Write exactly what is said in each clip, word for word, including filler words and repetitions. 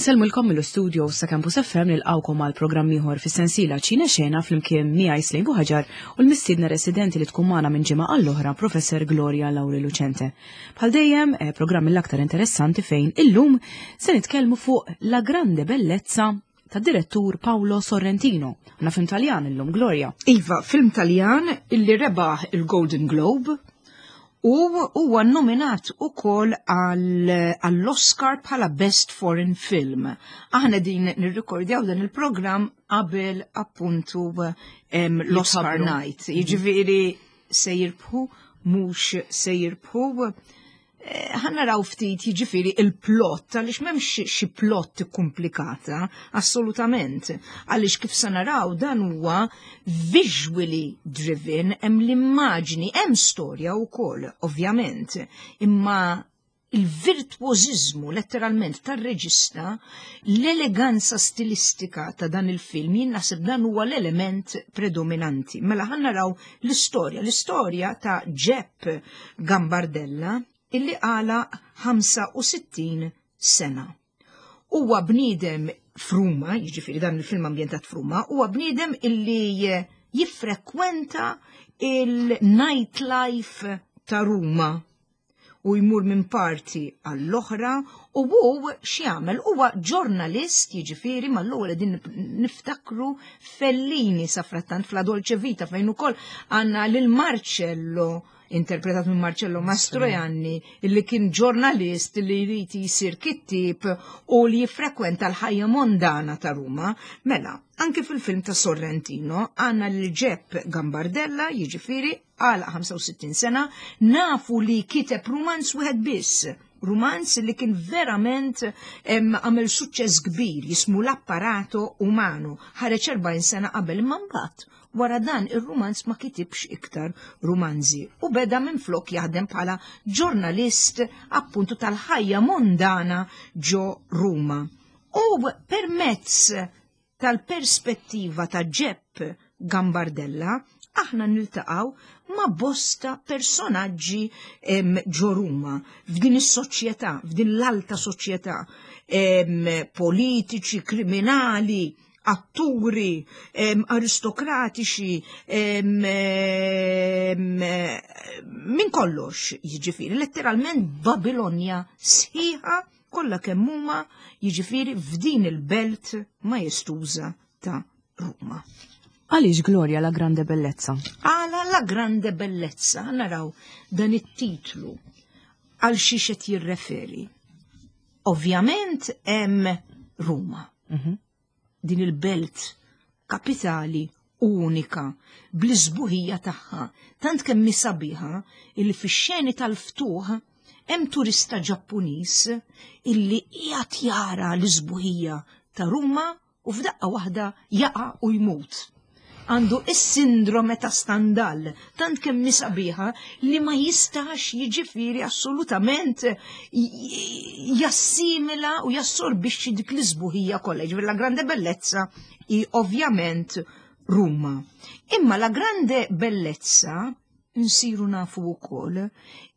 Insellmulkom mill-studio sa' Campus F M, nilqgħukom għal programm ieħor fis-sensiela Ċine Xena flimkien miegħi Slejn Buħaġar u l-mistiedna residenti li tkun magħna minn ġimgħa għall-oħra, Professor Gloria Lauri Lucente. Bħal dejjem, eh, programm mill-aktar interessanti fejn illum se nitkellmu fuq La Grande Bellezza ta' direttur Paolo Sorrentino. Għandna film Taljan illum, Gloria. Iva, film Taljan illi rebaħ il-Golden Globe u huwa nominat ukoll għall-Oscar bħala Best Foreign Film. Aħna din nirrikordjaw dan il-programm qabel appuntu l-Oscar Night. Mhm. Jiġifieri se jirbħu, mhux se jirbħu. Eh, ħa naraw ftit jiġifieri il-plot, għaliex m'hemmx xi plot komplikata, assolutament. Għaliex kif se naraw dan huwa visually driven, hemm l-immaġni, hemm storja wkoll, ovvjament, imma il-virtuożizmu letteralment tar-reġista, l-eleganza stilistika ta' dan il-film, jien naħseb dan huwa l-element predominanti. Mela ħa naraw l-istorja, l-istorja ta' Jepp Gambardella illi għalaq ħamsa u sittin sena. Huwa bniedem f'Ruma, jiġifieri dan il-film ambjentat f'Ruma, huwa bniedem illi jiffrekwenta il-nightlife ta' Ruma u jmur minn parti għall-oħra. U hu x'jagħmel? Huwa ġurnalist, jiġifieri mal-ewwel din niftakru Fellini safrattant f'La Dolce Vita, fejn ukoll għandna lil Marcello, interpretat minn Marcello Mastroianni, illi kien ġurnalist li jrid jisir kittib u li jiffrekwenta l-ħajja mondana ta' Ruma. Mela, anke fil-film ta' Sorrentino għandna lil Jepp Gambardella, jiġifieri għal ħamsa u sittin sena, nafu li kiteb rumanz wieħed biss, rumanz li kien verament għamel suċċess kbir, jismu L'Apparato Umano, ħareġ erbgħin sena qabel, imma mbagħad wara dan ir-rumanz ma kitibx iktar rumanzi u beda minn flok jaħdem bħala ġurnalist appuntu tal-ħajja mondana ġo Ruma. U permezz tal-perspettiva ta' Jepp Gambardella, aħna niltaqgħu ma' bosta personaġġi ġo Ruma, f'din is-soċjetà, f'din l-alta soċjetà, politiċi, kriminali, atturi, aristokratiċi, minn kollox, jiġifieri, letteralment Babilonja sħiħa kollha kemm huma, jiġifieri f'din il-belt majestuża ta' Ruma. Għaliex, Gloria, La Grande Bellezza? Għala La Grande Bellezza, naraw dan it-titlu għal xiex qed jirreferi. Ovvjament hemm Ruma. Mm -hmm. Din il-belt kapitali unika bl-isbuħija tagħha, tant kemm sabiħa illi fix-xeni tal-ftuħ hemm turista Ġappuniż illi qiegħed jara l-isbuħija ta' Ruma u f'daqqa waħda jaqa' u jmut. Għandu is-sindrome ta' Stendhal, tant kemm sabiħa li ma jistax jiġifieri assolutament jassimila u jassorbixxi dik l-isbuħija kollha. Jiġifieri La Grande Bellezza hi ovvjament Ruma. Imma La Grande Bellezza nsiru nafu wkoll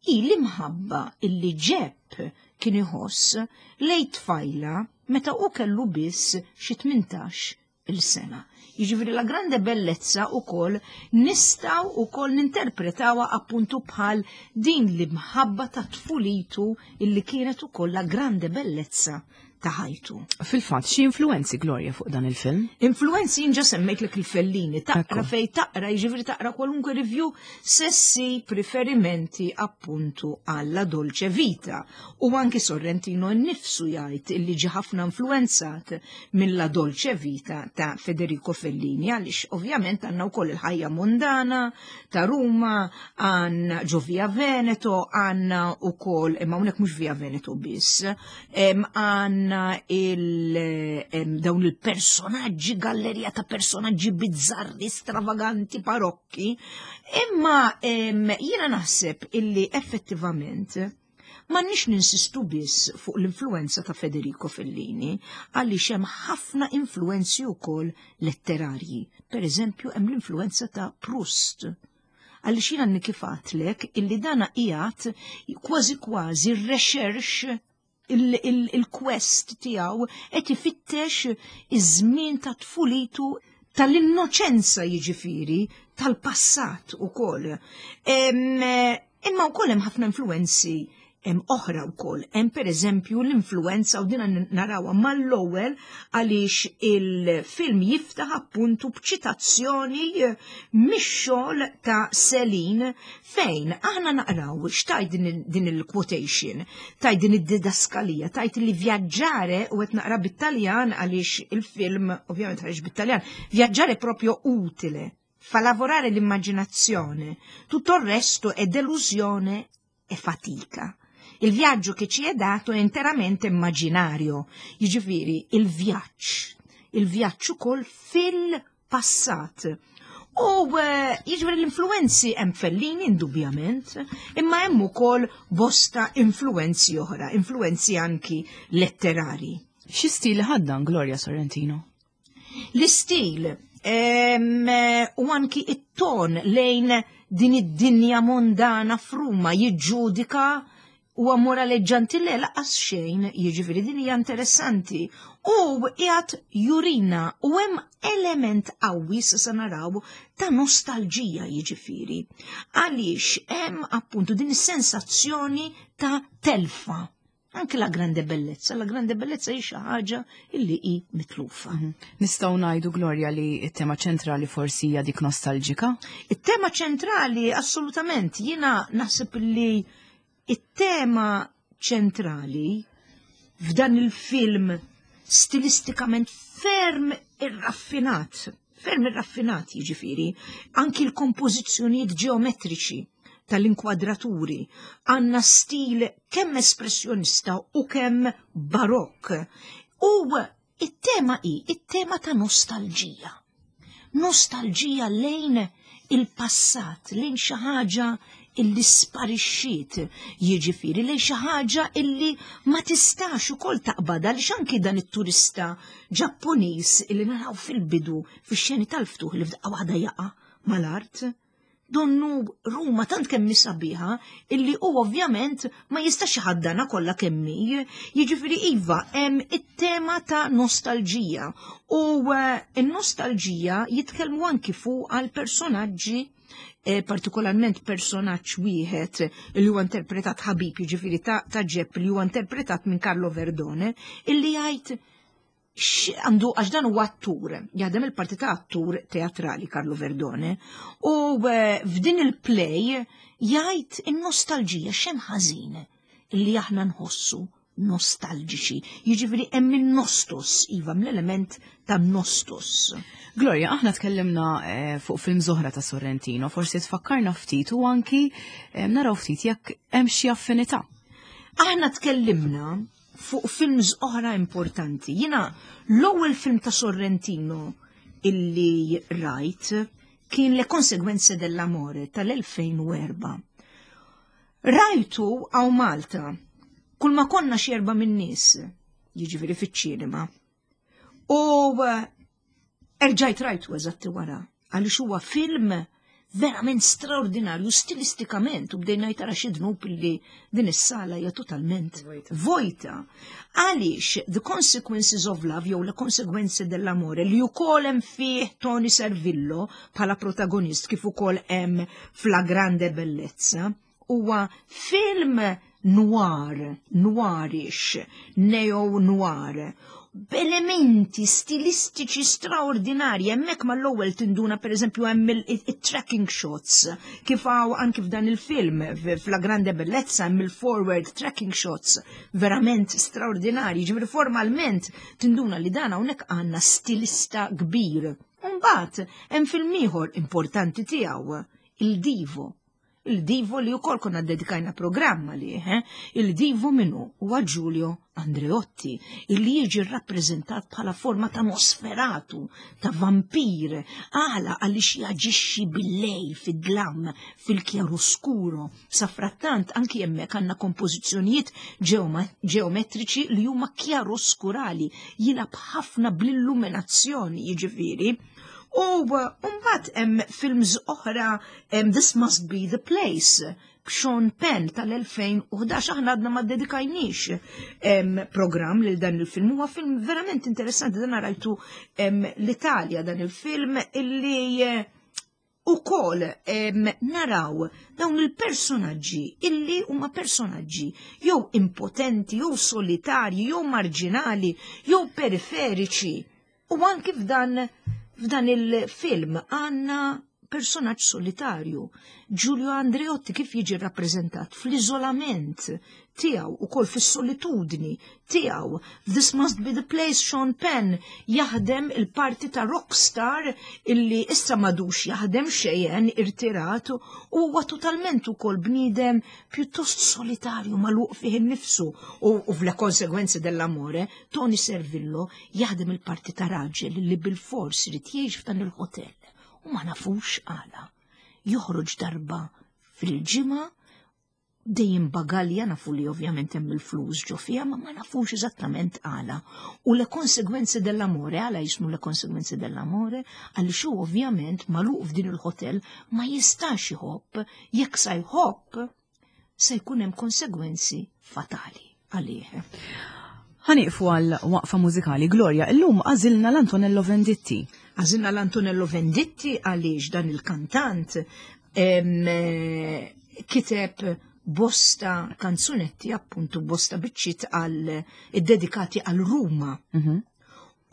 hi l-imħabba illi Jepp kien iħoss lejn tfajla meta u kellu biss xi tmintax il-sena. Jiġifieri La Grande Bellezza ukoll nistgħu ukoll ninterpretawha appuntu bħal din l-imħabba ta' tfulitu illi kienet ukoll la grande bellezza ta' ħajtu. Fil-fatt, xi influenzi, Gloria, fuq dan il-film? Influenzi ġa semmejtlek il-Fellini, taqra fej taqra, jiġifieri taqra kwalunkwe review se ssib riferimenti appuntu għalla Dolce Vita. U anki Sorrentino nnifsu jgħid illi ġi ħafna influenzat mill-La Dolce Vita ta' Federico Fellini, għaliex ovvjament għandna wkoll il-ħajja mondana ta' Ruma, għandna ġo Via Veneto, għandna wkoll, imma hawnhekk mhux Via Veneto biss, għandna il dawn il-personaġġi, gallerija ta' personaġġi bizzarri, stravaganti, barokki, imma jiena naħseb illi effettivament m'għandniex ninsistu biss fuq l-influenza ta' Federico Fellini, għaliex hemm ħafna influenzi wkoll letterarji. Per eżempju, hemm l-influenza ta' Proust, għaliex jiena kif għedtlek illi dana qiegħed kważi kważi recherche. Il-quest tiegħu qed ifittex iż-żmien ta' tfulitu, tal-innoċenza, jiġifieri tal-passat ukoll. Imma wkoll hemm ħafna influenzi hemm oħra wkoll. Hemm pereżempju l-influenza, u dina narawha mal-ewwel għaliex il-film jiftaħ appuntu b'ċitazzjoni mix-xogħol ta' Celine, fejn aħna naqraw x'tgħid din il-quotation, tgħid din id-didaskalija, tgħid li "viaggiare", u qed naqra bit-Taljan għaliex il-film ovvjament ħareġ bit-Taljan, "viaggiare proprio utile, fa lavorare l'immaginazione, tutto il resto è delusione e fatica. Il viaggio che ci è dato è interamente immaginario." Jiġifieri il-vjaġġ, il-vjaġġ ukoll fil-passat. U eh, jiġifieri l-influenzi hemm Fellini indubjament, imma hemm ukoll bosta influenzi oħra, influenzi anki letterari. Xi stil ħaddan, Gloria, Sorrentino? L-istil u anki it-ton lejn din id-dinja mondana f'Ruma, jiġġudika u moraleġġanti, le, lanqas xejn, jiġifieri din hija interessanti. U qiegħed jurina u hemm element qawwi se naraw ta' nostalġija, jiġifieri. Għaliex hemm appuntu din is-sensazzjoni ta' telfa. Anke La Grande Bellezza, La Grande Bellezza hi xi ħaġa illi hi mitlufa. Mhm. Nistgħu ngħidu, Gloria, li t-tema ċentrali forsi hija dik nostalġika? It-tema ċentrali assolutament, jiena naħseb li it-tema ċentrali f'dan il-film stilistikament ferm irraffinat, ferm irraffinat, jiġifieri, anki l-kompożizzjonijiet ġeometriċi tal-inkwadraturi, għanna stil kemm espressjonista u kemm barokk. U it-tema hi it-tema ta' nostalġija. Nostalġija lejn il-passat, lejn xi ħaġa illi sparixxiet, jiġifieri lejn xi ħaġa illi ma tistax ukoll taqbadha, li anki dan it-turista Ġappuniż illi naraw fil-bidu fix-xeni tal-ftuħ li f'daqqa waħda jaqa' mal-art. Donnu Ruma tant kemm sabiħa illi u ovvjament ma jistax iħaddana kollha kemm hi. Jiġifieri iva, hemm it-tema ta' nostalġija u eh, n-nostalġija jitkellmu anki fuq għal personaġġi, eh, partikolarment personaġġ wieħed li huwa interpretat ħabib, jiġifieri ta' ta' Ġepp, li huwa interpretat minn Carlo Verdone, illi jgħid għandu, għax dan huwa attur, jaħdem il-parti ta' attur teatrali Carlo Verdone, u eh, f'din il-play jgħid in-nostalġija x'hemm ħażin illi aħna nħossu nostalġiċi. Jiġifieri hemm in-nostos, iva, mill-element ta' nostos. Gloria, aħna tkellimna eh, fuq film oħra ta' Sorrentino, forsi tfakkarna ftit u anki eh, naraw ftit jekk hemm xi affinità. Aħna tkellimna fuq films oħra importanti. Jiena l-ewwel film ta' Sorrentino illi rajt kien Le Conseguenze dell'Amore tal-elfejn u erbgħa. Rajtu hawn Malta, kull ma konna xi erba' min-nies, jiġifieri fiċ-ċinema. U eh, erġajt rajtu eżatti wara, għaliex huwa film verament straordinarju stilistikament u bdejna jtara xi dnub li din is-sala hija totalment vojta. Għaliex The Consequences of Love jew Le Conseguenze dell'Amore, li wkoll hemm fih Toni Servillo bħala protagonist kif ukoll hemm f'La Grande Bellezza, huwa film noir, noirish, neo-noir, b'elementi stilistiċi straordinarji. Hemmhekk mal-ewwel tinduna, pereżempju, hemm il-tracking shots, kif hawn anki f'dan il-film, f'La Grande Bellezza, hemm il-forward tracking shots verament straordinarji, ġifieri formalment tinduna li dan hawnhekk għandna stilista kbir. Mbagħad hemm film ieħor importanti tiegħu, Il Divo. Il Divo li wkoll konna dedikajna programma li, eh? Il Divo minnu huwa Giulio Andreotti, illi jiġi rappreżentat bħala forma ta' Nosferatu, ta' vampir, għala għaliex jaġixxi bil-lejl, fid-dlam, fil-kjaroskuro. Safrattant anki hemmhekk għandna kompożizzjonijiet ġeometriċi li huma kjaroskurali, jilgħab ħafna bl-illuminazzjoni, jiġifieri. U mbagħad hemm films oħra, This Must Be the Place, b'Sean Penn tal-elfejn u ħdax, aħna għadna ma dedikajniex program lil dan il-film. Huwa film verament interessanti, dan rajtu l-Italja dan il-film illi u kol naraw dawn il-personaġġi illi huma personaġġi jew impotenti, jew solitarji, jew marġinali, jew periferiċi. U anki f'dan, f'dan il-film għandna personaġġ solitarju. Giulio Andreotti kif jiġi rappreżentat fl-iżolament tiegħu u kol fis-solitudni tiegħu. This Must Be the Place, Sean Penn jaħdem il-parti ta' rockstar illi issa madux jaħdem xejn, irtirat, u huwa totalment ukoll bniedem pjuttost solitarju, magħluq fih innifsu. U, u f'Le Conseguenze dell'Amore, Tony Servillo jaħdem il-parti ta' raġel li bil-fors irid jgħix f'dan il-hotel. U ma nafux għala. Joħroġ darba fil-ġimgħa, dejjem bagalja, nafu li ovvjament hemm il-flus ġo fiha, ma ma nafux eżattament għala. U Le Conseguenze dell'Amore, għala jismu Le Conseguenze dell'Amore, għaliex hu ovvjament magħluq f'din il-hotel ma jistax iħobb, jekk sa jħobb se jkun hemm konsegwenzi fatali għalih. Ħaniqfu għal waqfa mużikali. Gloria, illum għażilna l-Antonello Venditti. Għażilna l-Antonello Venditti għaliex dan il-kantant, em, kiteb bosta kanzunetti, appuntu bosta biċċiet għal dedikati għal Ruma. Mhm.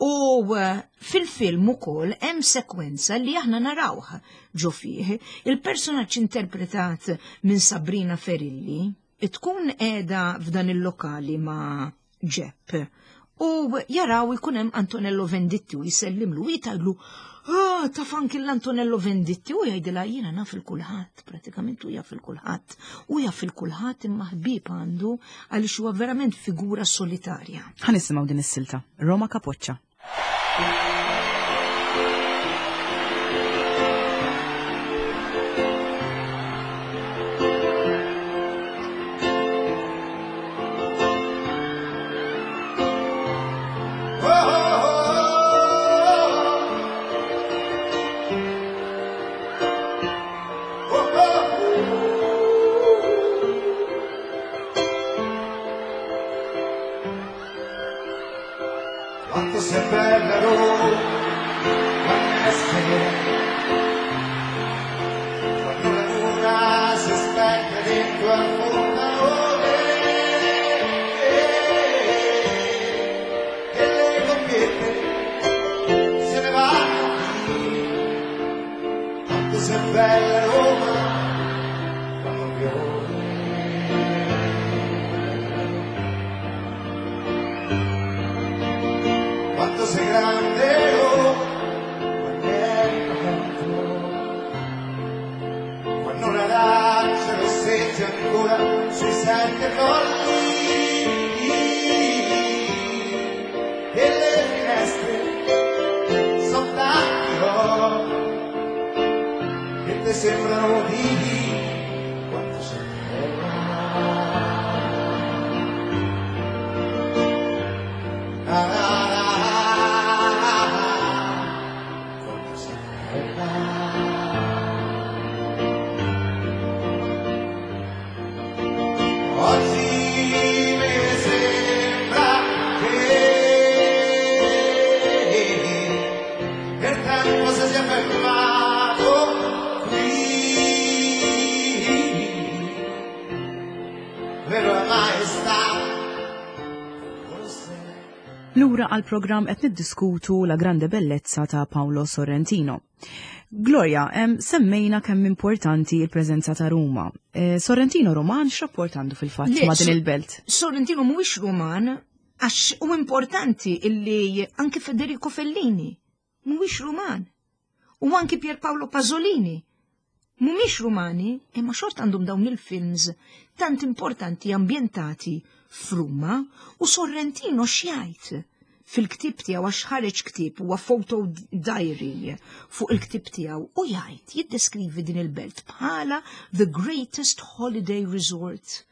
U, eh, fil-film ukoll hemm sekwenza li aħna narawh ġo fih. Il-personaġġ interpretat minn Sabrina Ferilli tkun qiegħda f'dan il-lokali ma' Ġepp. U jaraw ikun hemm Antonello Venditti u jsellimlu u jitgħidlu, ah, taf anki l-Antonello Venditti, u jgħidilha jiena naf il-kulħadd, pratikament u jaf il-kulħadd, u jaf il-kulħadd imma ħbieb għandu għaliex huwa verament figura solitarja. Ħa nisimgħu din is-silta, Roma Capoccia. Quanto sei bella Roma, quando è sera, quando la luna si specchia dentro al fontanone e le coppiette se ne vanno via. Quanto sei bella Roma, quando piove. Quanto sei grande, oh, quando è tanto, quando l'arancia rosseggia ancora sui sette colli e le finestre son tanti, oh, che te sembrano vivi. Quanto sei bella. Ah, ah, Oggi mi sembra che il tempo si sia fermato qui, vero maestà, forse. Lura għal programm qed niddiskutu La Grande Bellezza ta' Paolo Sorrentino. Gloria, em, semmejna kemm importanti il-preżenza ta' Ruma. Eh, Sorrentino Roman x'rapport għandu fil-fatt Le, ma' din So- il-belt? Sorrentino mhuwiex Roman, għax u importanti illi anke Federico Fellini mhuwiex Roman. U anke Pier Paolo Pasolini mhumiex Rumani, imma xort għandhom dawn il-films tant importanti ambjentati f'Ruma. U Sorrentino x'jgħid fil-ktieb tiegħu, għax ħareġ ktieb huwa photo diary fuq il-ktieb tiegħu, u jgħid jiddeskrivi din il-belt bħala the greatest holiday resort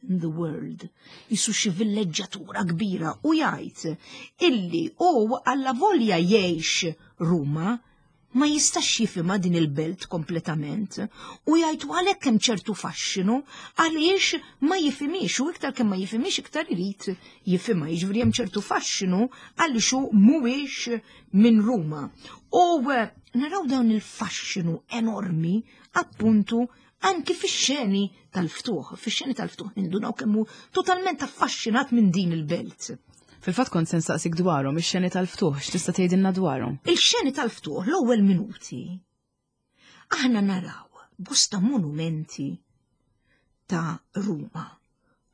in the world, jisu xi villeġġatura kbira, u jgħid illi u alla volja jgħix Ruma Ma jistax jifhimha din il-belt kompletament u jgħid għalhekk hemm ċertu faxxinu għaliex ma jifhimhiex u iktar kemm ma jifhimhiex iktar irid jifhimha, jiġifieri hemm ċertu faxxinu għaliex hu mhuwiex minn Ruma. U eh, naraw dawn il-faxxinu enormi appuntu anki fix-xeni tal-ftuħ, fix-xeni tal-ftuħ nindunaw kemm hu totalment affaxxinat minn din il-belt. Fil-fatt kont se nsaqsik dwarhom ix-xeni tal-ftuħ, x'tista' tgħidilna dwarhom? Il-xeni tal-ftuħ, l-ewwel minuti, aħna naraw bosta monumenti ta' Ruma.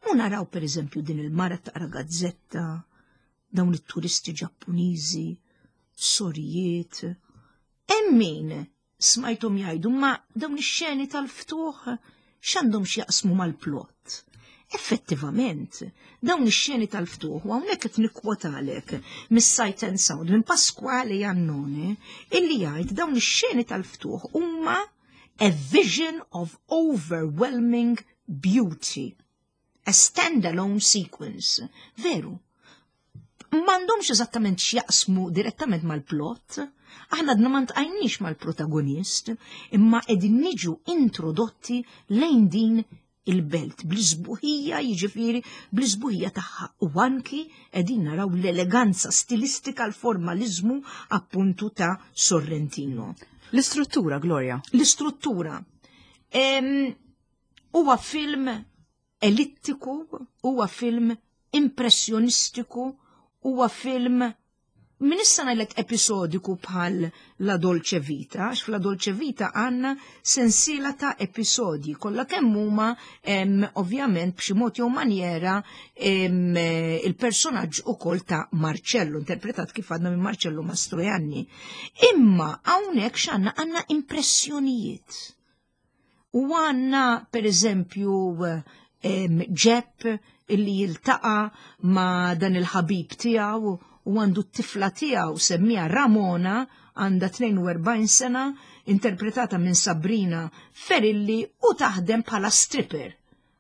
U naraw per eżempju din il-mara taqra gazzetta, dawn it-turisti Ġappuniżi, sorijiet. Hemm min smajthom jgħidu ma dawn ix-xeni tal-ftuħ x'għandhom x'jaqsmu mal-plot. Effettivament, dawn ix-xeni tal-ftuħ, u hawnhekk qed nikkwotalek mis-Sight and Sound minn Pasquale Jannone, illi jgħid dawn ix-xeni tal-ftuħ huma a vision of overwhelming beauty. A standalone sequence. Veru, m'għandhomx eżattament x'jaqsmu direttament mal-plot, aħna għadna ma ltqajniex mal-protagonist, imma qegħdin niġu introdotti lejn din il-belt bl-isbuħija, jiġifieri bl-isbuħija tagħha u anki qegħdin naraw l-eleganza stilistika, l-formalizmu appuntu ta' Sorrentino. L-istruttura, Gloria. L-istruttura. Huwa film ellittiku, huwa film impressjonistiku, huwa film min issa ngħidlek episodiku bħal La Dolce Vita, għax f'La Dolce Vita għandna sensiela ta' episodji, kollha kemm huma ovvjament b'xi mod jew maniera il-personaġġ ukoll ta' Marcello, interpretat kif għadna minn Marcello Mastroianni. Imma hawnhekk x'għandna għandna impressjonijiet. U għandna per eżempju Ġepp illi jiltaqa' ma' dan il-ħabib tiegħu u għandu t-tifla tiegħu semmija Ramona, għandha tnejn u erbgħin sena, interpretata minn Sabrina Ferilli u taħdem bħala stripper.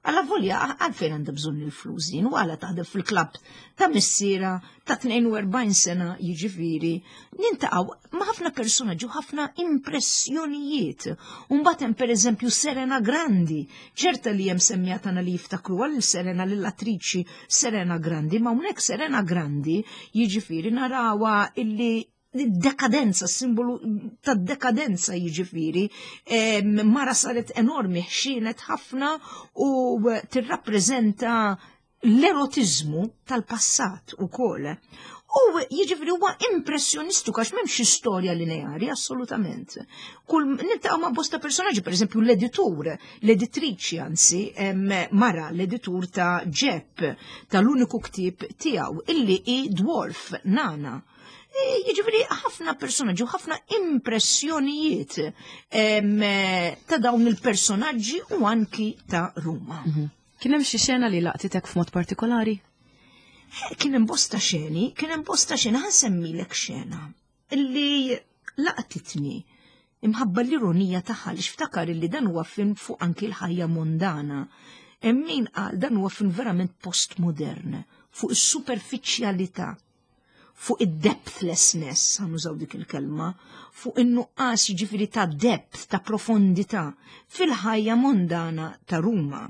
Alla volja għalfejn għandha bżonn il-flus din u għala taħdem fil-klabb ta' missiera ta' tnejn u erbgħin sena jiġifieri niltaqgħu ma' ħafna personaġġi u ħafna impressjonijiet. U mbagħad hemm pereżempju Serena Grandi, ċerta li hemm semmija tagħna li jiftakru għal Serena lill-attriċi Serena Grandi, ma hawnhekk Serena Grandi jiġifieri narawha illi dekadenza, simbolu ta' dekadenza jiġifieri, mara saret enormi, ħxienet ħafna u tirrappreżenta l-erotizmu tal-passat u kol. U jiġifieri huwa impressjonistiku għax m'hemmx istorja lineari assolutament. Kull niltaqgħu ma' bosta personaġġi, pereżempju l-editur, l-editriċi anzi, mara l-editur ta' Ġepp, tal-uniku ktieb tiegħu illi hi dwarf nana. Jiġifieri ħafna personaġġi u ħafna impressjonijiet ta' dawn il-personaġġi u anki ta' Ruma. Mhm. Kien hemm xi xena li laqtitek f'mod partikolari? Kien hemm bosta xeni, kien hemm bosta xena, ħa nsemmilek xena illi laqtitni imħabba l-ironija tagħha li x'ftakar illi dan huwa film fuq anki l-ħajja mondana. Hemm min qal dan huwa film verament postmodern fuq is-superfiċjalità, fuq id-depthlessness, ħa nużaw dik il-kelma, fuq in-nuqqas jiġifieri ta' depth, ta' profondità fil-ħajja mondana ta' Ruma.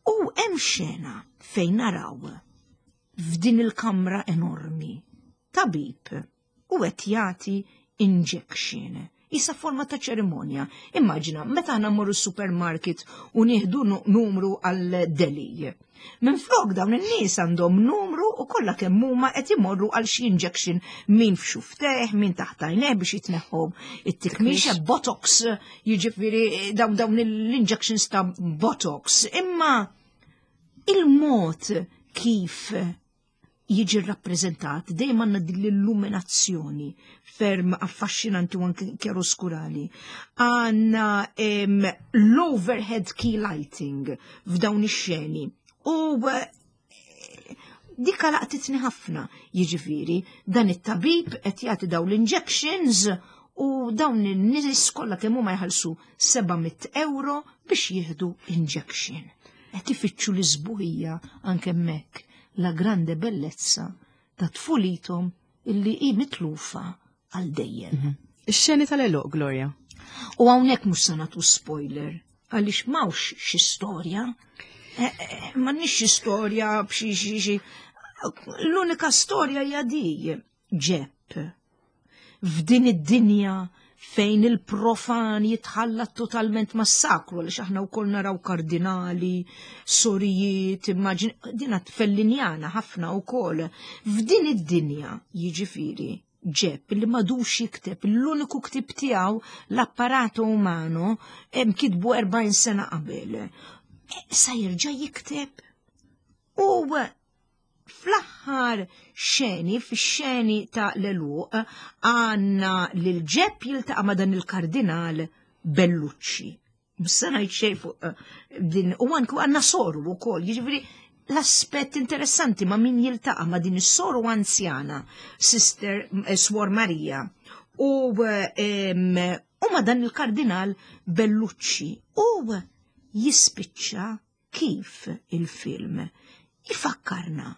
U hemm xena fejn naraw f'din il-kamra enormi tabib u qed jagħti injection. Isa forma ta' ċerimonja. Immaġina, meta aħna mmorru supermarket u nieħdu numru għal deli. Minn flok dawn in-nies għandhom numru u kollha kemm huma qed imorru għal xi injection min f'xufftejh, min taħt għajnejh biex jitneħħu it-tikmixa, botox, jiġifieri dawn dawn l-injections ta' botox. Imma il-mod kif jiġi rappreżentat dejjem għandna din l-illuminazzjoni ferm affaxxinanti u anke chiaroscurali. Għandna l-overhead key lighting f'dawn ix-xeni. U eh, dika laqtitni ħafna, jiġifieri dan it-tabib qed jagħti dawn l-injections u dawn in-nies kollha kemm huma jħallsu seba' mitt euro biex jieħdu injection. Qed ifittxu l-isbuħija anke hemmhekk la grande bellezza ta' tfulithom illi hi mitlufa għal dejjem. Mhm. Ix-xeni tal-għeluq, Gloria. U hawnhekk mhux se nagħtu spoiler, għaliex m'hawnx xi storja. Eh, eh, m'għandniex xi storja b'xi xi xi. L-unika storja hija di Ġepp. F'din id-dinja fejn il-profan jitħallat totalment mas-sakru, għaliex aħna wkoll naraw kardinali, sorijiet, immaġin, dina Fellinjana ħafna wkoll. F'din id-dinja, jiġifieri, Ġepp li m'għadux jikteb, l-uniku ktib tiegħu L'Apparato Umano hemm kitbu erbgħin sena qabel. E, sa jerġa' jikteb. U fl-aħħar xeni, fix-xeni ta' l-għeluq, għandna lil Ġepp jiltaqa' ma' dan il-kardinal Bellucci. Mhux se ngħid xejn fuq eh, din, u anke għandna soru wkoll, jiġifieri l-aspett interessanti ma' min jiltaqa' ma' din is-soru anzjana, Sister eh, Swor Maria, u, em, u ma' dan il-kardinal Bellucci. U jispiċċa kif il-film ifakkarna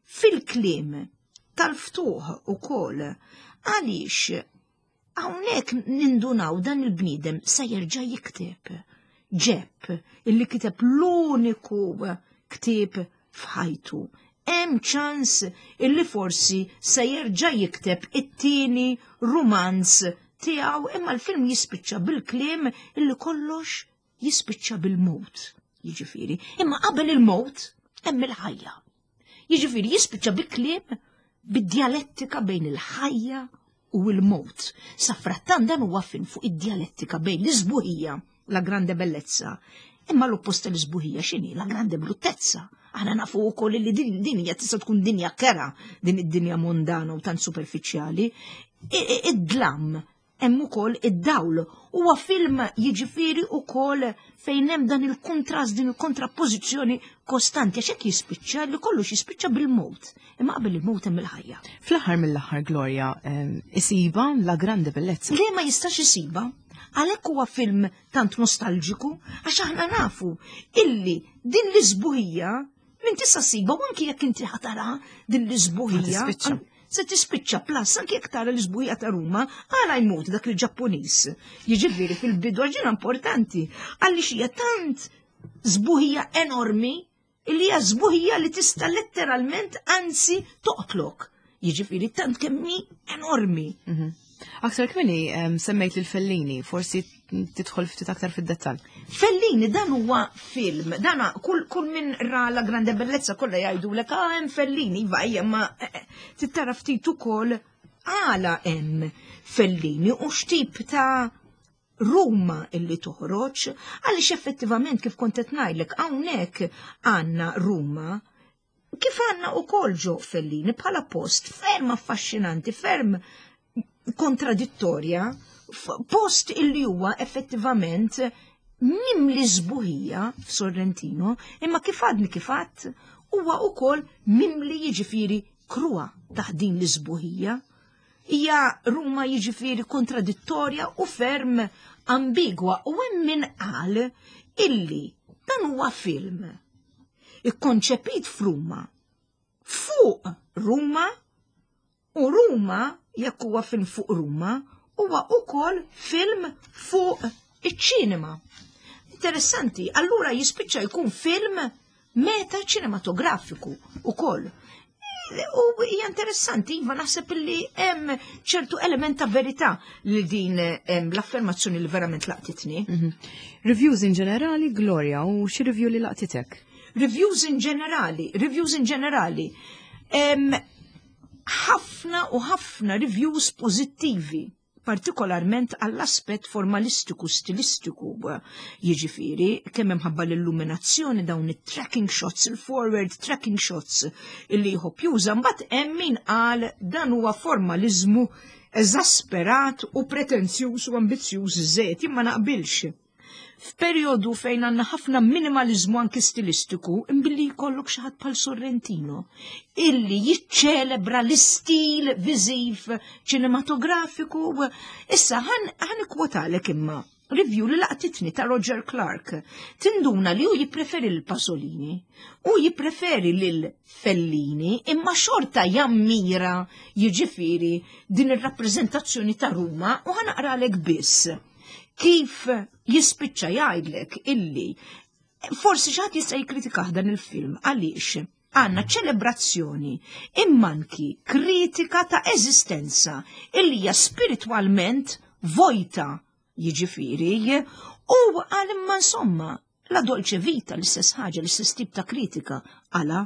fil-kliem tal-ftuħ ukoll, għaliex hawnhekk nindunaw dan il-bniedem se jerġa' jikteb. Ġepp illi kiteb l-uniku ktieb f'ħajtu. Hemm ċans illi forsi se jerġa' jikteb it-tieni rumanz tiegħu, imma l-film jispiċċa bil-kliem illi kollox jispiċċa bil-mewt, jiġifieri. Imma qabel il-mewt hemm il-ħajja. Jiġifieri jispiċċa bi kliem bid-djalettika bejn il-ħajja u l-mewt. Safrattan dan huwa film fuq id-djalettika bejn l-isbuħija, la grande bellezza, imma l-oppost tal-isbuħija x'inhi? La grande bruttezza. Aħna nafu wkoll li din din hija tista' tkun dinja kera, din id-dinja mondana u tant superfiċjali. Id-dlam hemm ukoll id-dawl. Huwa film jiġifieri ukoll fejn hemm dan il-kontrast, din il-kontrappożizzjoni kostanti, għax hekk jispiċċa li kollox jispiċċa bil-mewt. Imma qabel il-mewt hemm il-ħajja. Fl-aħħar mill-aħħar, Gloria, ehm, isiba la grande bellezza. Le, ma jistax isiba. Għalhekk huwa film tant nostalġiku, għax aħna nafu illi din l-isbuħija minn tista' siba, u anki jekk inti ħatara din l-isbuħija. Tispiċċa. Se tispiċċa plus, anki jekk tara l-isbuħija ta' Ruma, għala jmut dak il-Ġappuniż. Jiġifieri fil-bidu ġina importanti, għaliex hija tant sbuħija enormi, illi hija sbuħija li tista' letteralment anzi toqtlok. Jiġifieri tant kemm hi enormi. Mhm. Aktar kmieni em, semmejt lil Fellini, forsi tidħol ftit aktar fid-dettall. Fellini dan huwa film, dana kull, kull min ra La Grande Bellezza kollha jgħidulek ah hemm Fellini, iva hija ma eh, eh, tittara ftit ukoll għala hemm Fellini u x'tip ta' Ruma illi toħroġ, għaliex effettivament kif kont qed ngħidlek hawnhekk għandna Ruma kif għandna ukoll ġo Fellini bħala post ferm affaxxinanti, ferm kontradittorja, post illi huwa effettivament mimli sbuħija f'Sorrentino, imma kif għadni kif għadt huwa ukoll mimli jiġifieri kruha taħt din l-isbuħija. Hija Ruma jiġifieri kontradittorja u ferm ambigwa, u hemm min qal illi dan huwa film ikkonċepit f'Ruma, fuq Ruma, u Ruma, jekk huwa film fuq Ruma, huwa ukoll film fuq iċ-ċinema. Interessanti, allura jispiċċa jkun film meta ċinematografiku ukoll. U hija interessanti, iva naħseb li hemm ċertu element ta' verità li din hemm l-affermazzjoni li verament laqtitni. Mhm. Reviews in ġenerali, Gloria, u xi review li laqtitek? Reviews in ġenerali, reviews in ġenerali. Ħafna u ħafna reviews pożittivi, partikolarment għall-aspett formalistiku, stilistiku, jiġifieri, kemm imħabba l-illuminazzjoni, dawn it-tracking shots, il-forward tracking shots illi jħobb juża, mbagħad hemm min qal dan huwa formalizmu eżasperat u pretenzjuż u ambizzjuż żejt, imma naqbilx. F'perjodu fejn għandna ħafna minimalizmu anki stilistiku, imbilli jkollok xi ħadd bħal Sorrentino, illi jiċċelebra l-istil viżiv ċinematografiku. Issa ħan ħan ikkwotalek imma Review li laqtitni ta' Roger Clark. Tinduna li hu jippreferi l-Pasolini, u jippreferi lil Fellini, imma xorta jammira, jiġifieri, din ir-rappreżentazzjoni ta' Ruma, u ħa naqralek biss. Kif jispiċċa jgħidlek illi forsi xi ħadd jista' jikkritikah dan il-film għaliex għandna ċelebrazzjoni imma anki kritika ta' eżistenza illi hija spiritwalment vojta, jiġifieri, u għal imma insomma La Dolce Vita l-istess ħaġa, l-istess tip ta' kritika għala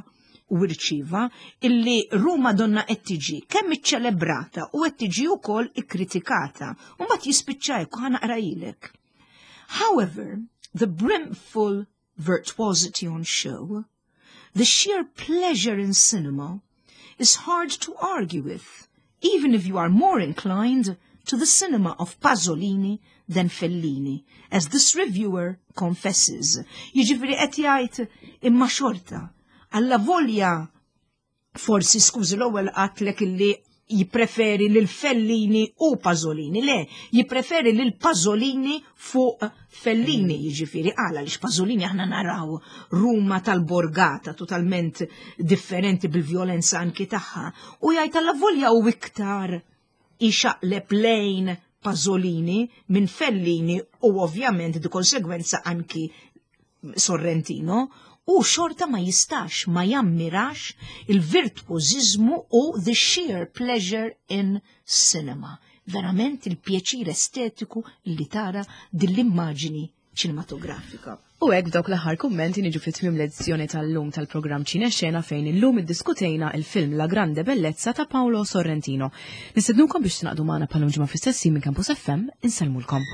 u rċiva illi Ruma donna qed tiġi kemm iċċelebrata u qed tiġi wkoll ikkritikata. U mbagħad jispiċċa hekk, ħa naqrahilek. "However, the brimful virtuosity on show, the sheer pleasure in cinema, is hard to argue with, even if you are more inclined to the cinema of Pasolini than Fellini, as this reviewer confesses." Jiġifieri qed jgħid imma xorta, alla volja forsi, skużi, l-ewwel għedtlek illi jippreferi lil Fellini u Pasolini. Le, jippreferi lil Pasolini fuq Fellini, jiġifieri għala li Pasolini aħna naraw Ruma tal-borgata totalment differenti bil-violenza anki tagħha. U jgħid alla volja u iktar ixaqleb lejn Pasolini minn Fellini u ovvjament di konsegwenza anki Sorrentino, u xorta ma jistax ma jammirax il-virtuożizmu u the sheer pleasure in cinema. Verament il-pjaċir estetiku li tara dil-immaġini ċinematografika. U hekk, b'dawk l-aħħar kummenti, niġu fit tmiem l-edizzjoni tal-lum tal-programm Ċine Xena, fejn illum iddiskutejna il-film La Grande Bellezza ta' Paolo Sorrentino. Nistednukom biex tingħaqdu magħna bħal ġimgħa fl-istess minn Campus F M. Insellmulkom.